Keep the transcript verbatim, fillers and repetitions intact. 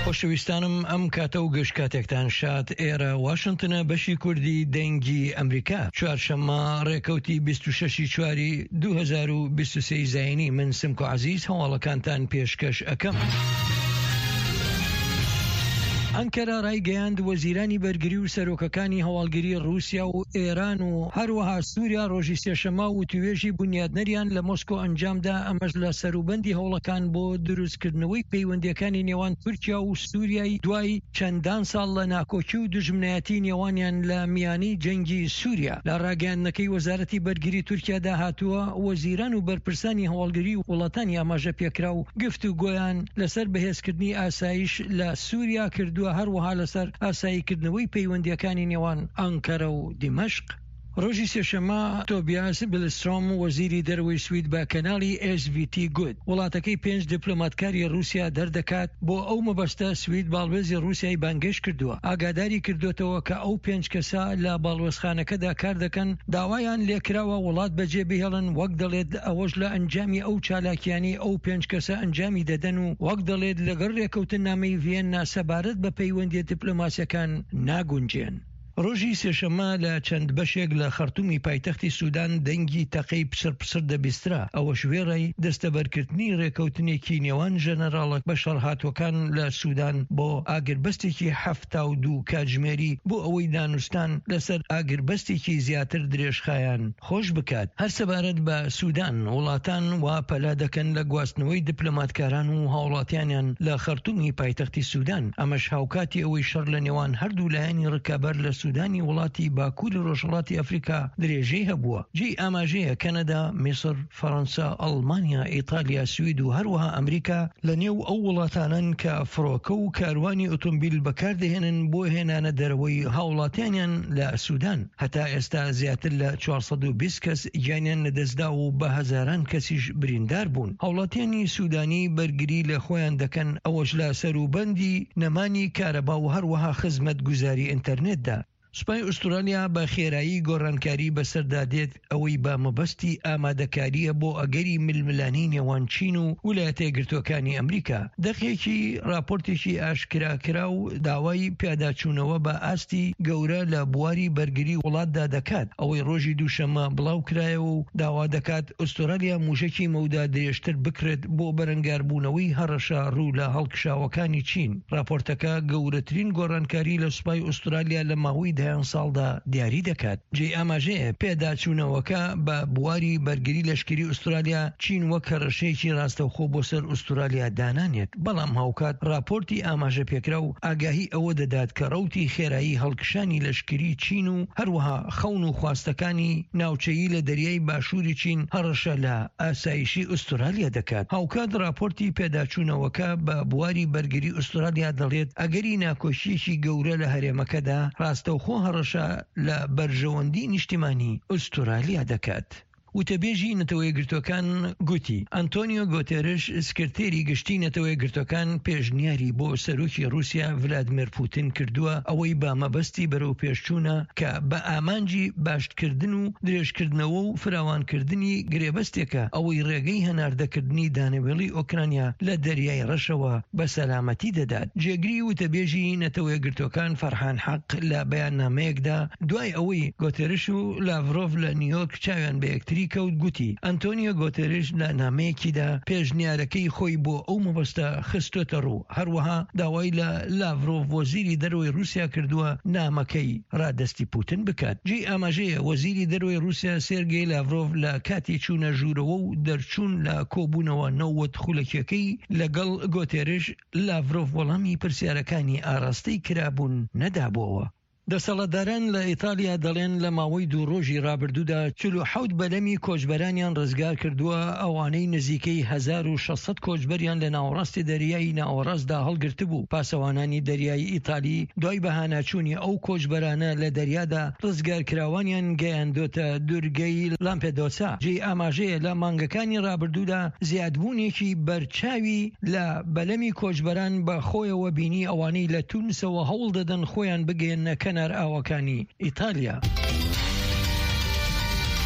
خۆشەویستانم ئەم کاتە و گشت کاتێکتان شاد. ئێرە واشنتنە، بەشی کوردی دەنگی ئەمریکا. چوارشەممە ڕێکەوتی بیست و شەش ی چواری دوو هەزار و بیست و سێ زایینی، من سمکۆ عەزیز هەواڵەکانتان پێشکەش ئەکەم. ئەنکەرە ڕایگەیاند وەزیرانی بەرگری و سەرۆکەکانی هەواڵگری ڕووسیا و ئێران و هەروەها سووریا ڕۆژی سێشەممە وتووێژی بونیادنەریان لە مۆسکۆ ئەنجامدا، ئەمەش لە سەروبەندی هەوڵەکان بۆ دروستکردنەوەی پەیوەندییەکانی نێوان تورکیا و سووریای دوای چەندان ساڵ لە ناکۆکی و دوژمنایەتی نێوانیان لە میانی جەنگی سووریا. لە ڕاگەیاندنەکەی وەزارەتی بەرگری تورکیادا هاتووە، وەزیران و بەرپرسانی هەواڵگری وڵاتانی ئاماژەپێکراو گفتوگۆیان لەسەر بەهێزکردنی ئاسایش لە سووریا کردووە، هەروەها لەسەر ئاساییکردنەوەی پەیوەندییەکانی نێوان ئەنکەرە و دیمەشق. ڕۆژی سێشەممە تۆبیاس بلسترۆم وەزیری دەرەوەی سوید بە کەناڵی ئێس ڤی تی گوت وڵاتەکەی پێنج دیپلۆماتکاری ڕووسیا دەردەکات، بۆ ئەو مەبەستە سوید باڵوێزی ڕووسیای بانگهێشت کردووە، ئاگاداری کردۆتەوە کە ئەو پێنج کەسە لە باڵوێزخانەکەدا کاردەکەن داوایان لێکراوە وڵات بەجێ بهێڵن، وەک دەڵێت ئەوەش لە ئەنجامی ئەو چالاکیانەی ئەو پێنج کەسە ئەنجامی دەدەن و وەک دەڵێت لەگەڵ رێکەوتننامەی ڤیەننا سەبارەت بە پەیوەندیە دیپلۆماسیەکان ناگونجێن. ڕۆژی سێشەممە لە چەند بەشێک لە خەرتومی پایتەختی سودان دەنگی تەقەی پچڕ پچڕ دەبیسترا، ئەوەش وێڕای دەستەبەرکردنی رێکەوتنێکی نێوان ژەنەراڵە بەشەڕهاتووەکان لە سودان بۆ ئاگربەستێکی حەفتا و دوو کاتژمێری بۆ ئەوەی دانوستان لەسەر ئاگربەستێکی زیاتر درێژخایەن خۆش بکات. هەر سەبارەت بە سودان، وڵاتان وا پەلە دەکەن لە گواستنەوەی دیپلۆماتکاران و هاوڵاتیانیان لە خەرتومی پایتەختی سودان، ئەمەش هاوکاتی ئەوەی شەڕ لە نێوان هەردوو لایەنی ڕکابەر لە سودانی وڵاتی باکوری ڕۆژهەڵاتی ئەفریکا درێژەی هەبووە. جێی ئاماژەیە کەنەدا، میسر، فەرەنسا، ئەڵمانیا، ئیتالیا، سوید و هەروەها ئەمریکا لە نێو ئەو وڵاتانەن کە فڕۆکە و کاروانی ئۆتۆمبیل بەکاردەهێنن بۆ هێنانە دەرەوەی هاوڵاتیانیان لە سودان. هەتا ئێستا زیاتر لە چوار سەد و بیست کەس گیانیان لەدەستدا و بە هەزاران کەسیش بریندار بوون. هاوڵاتیانی سودانی بەرگری لە خۆیان دەکەن، ئەوەش لە سەروبەندی نەمانی کارەبا و هەروەها خزمەتگوزاری ئینتەرنێتدا. سوپای ئوسترالیا بە خێرایی گۆڕانکاری بەسەردا دێت، ئەوەی بە مەبەستی ئامادەکارییە بۆ ئەگەری ململانێی نێوان چین و ویلایەتە یەکگرتووەکانی ئەمریکا. دەقێکی راپۆرتێکی ئاشکراکراو داوای پیاداچوونەوە بە ئاستی گەورە لە بواری بەرگری وڵاتدا دەکات، ئەوەی رۆژی دووشەممە بڵاوکرایەوە و داوا دەکات ئوسترالیا موشەکی مەودا درێژتر بکڕێت بۆ بەرەنگاربوونەوەی هەڕەشە روو لە هەڵکشاوەکانی چین. راپۆرتەکە گەورەترین گۆڕانکاری لە سوپای ئوسترالیا لە ماوەی دەیان ساڵدا دیاری دەکات. جێی ئاماژەیە پێداچوونەوەکە بە بواری بەرگری لەشکری ئوسترالیا چین وەک هەڕەشەیەکی ڕاستەوخۆ بۆ سەر ئوسترالیا دانانێت، بەڵام هاوکات ڕاپۆرتی ئاماژەپێکراو ئاگاهی ئەوە دەدات کە ڕەوتی خێرایی هەڵکشانی لەشکری چین و هەروەها خەون و خواستەکانی ناوچەیی لە دەریای باشووری چین هەڕەشە لە ئاسایشی ئوسترالیا دەکات. هاوکات ڕاپۆرتی پێداچوونەوەکە بە بواری بەرگری ئوسترالیا دەڵێت ئەگەری ناکۆکییەکی گەورە لە هەرێمەکەدا ڕاستەوخۆ هەڕەشە لە بەرژەوەندی نیشتیمانی ئوسترالیا دەکات. وتەبێژی نەتەوەیەکگرتووەکان گوتی، ئەنتۆنیۆ گۆتێرش سکرتێری گشتی نەتەوەیەکگرتووەکان پێشنیاری بۆ سەرۆکی ڕووسیا ڤلادیمێر پوتین کردووە ئەوەی بە مەبەستی بەرەوپێشچوونە کە بە ئامانجی باشتکردن و درێژکردنەوە و فراوانکردنی گرێبەستێکە ئەوەی ڕێگەی هەناردەکردنی دانەوێڵی ئۆکرانیا لە دەریای ڕەشەوە بە سەلامەتی دەدات. جێگری وتەبێژی نەتەوەیەکگرتووەکان فەرحان حەق لە بەیاننامەیەکدا دوای ئەوەی گۆتێرش و لاڤرۆڤ لە نیویۆرک چاویان بە یەکتری کەوت گوتی، ئەنتۆنیۆ گۆتێرش لە نامەیەکیدا پێشنیارەکەی خۆی بۆ ئەو مەبەستە خستۆتە ڕوو، هەروەها داوای لە لاڤرۆڤ وەزیری دەرەوەی ڕووسیا کردووە نامەکەی ڕادەستی پوتن بکات. جێی ئاماژەیە وەزیری دەرەوەی ڕووسیا سێرگێی لاڤرۆڤ لە کاتی چوونە ژوورەوە و دەرچوون لە کۆبوونەوە نەوەد خولەکیەکەی لەگەڵ گۆتێرش، لاڤرۆڤ وەڵامی پرسیارەکانی ئاراستەی کرابوون نەدابۆوە. دەسەڵاتداران لە ئیتالیا دەڵێن لە ماوەی دوو ڕۆژی ڕابردوودا چل و حەوت بەلەمی کۆچبەرانیان ڕزگار کردووە، ئەوانەی نزیکەی هەزار و شەش سەد کۆچبەریان لە ناوەڕاستی دەریای ناوەڕاستدا هەڵگرتبوو. پاسەوانانی دەریایی ئیتالی دوای بەهاناچوونی ئەو کۆچبەرانە لە دەریادا ڕزگارکراوانیان گەیاندۆتە دورگەی لامپێدۆسا. جێی ئاماژەیە لە مانگەکانی ڕابردوودا زیادبوونێکی بەرچاوی لە بەلەمی کۆچبەران بە خۆیەوە بینی، ئەوانەی لە تونسەوە هەوڵ دەدەن خۆیان بگەیەننە کەنار ئاوەکانی ئیتالیا.